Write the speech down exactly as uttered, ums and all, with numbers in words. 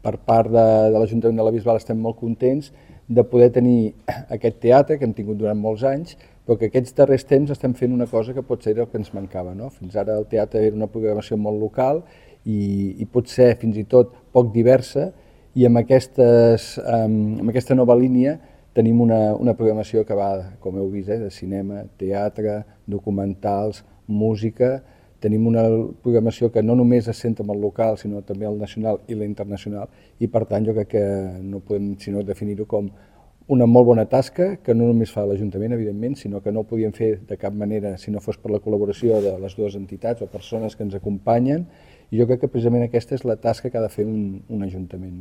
per part de, de l'Ajuntament de la Bisbal estem molt contents de poder tenir aquest teatre que hem tingut durant molts anys, però que aquests darrers temps estem fent una cosa que potser era el que ens mancava, no? Fins ara el teatre era una programació molt local i, i potser fins i tot poc diversa, i amb, aquestes, amb aquesta nova línia tenim una, una programació que va, com heu vist, eh, de cinema, teatre, documentals, música. Tenim una programació que no només es centra en el local, sinó també el nacional i l'internacional, i per tant jo crec que no podem sinó definir-ho com una molt bona tasca que no només fa l'Ajuntament, evidentment, sinó que no ho podíem fer de cap manera si no fos per la col·laboració de les dues entitats o persones que ens acompanyen, i jo crec que precisament aquesta és la tasca que ha de fer un, un Ajuntament.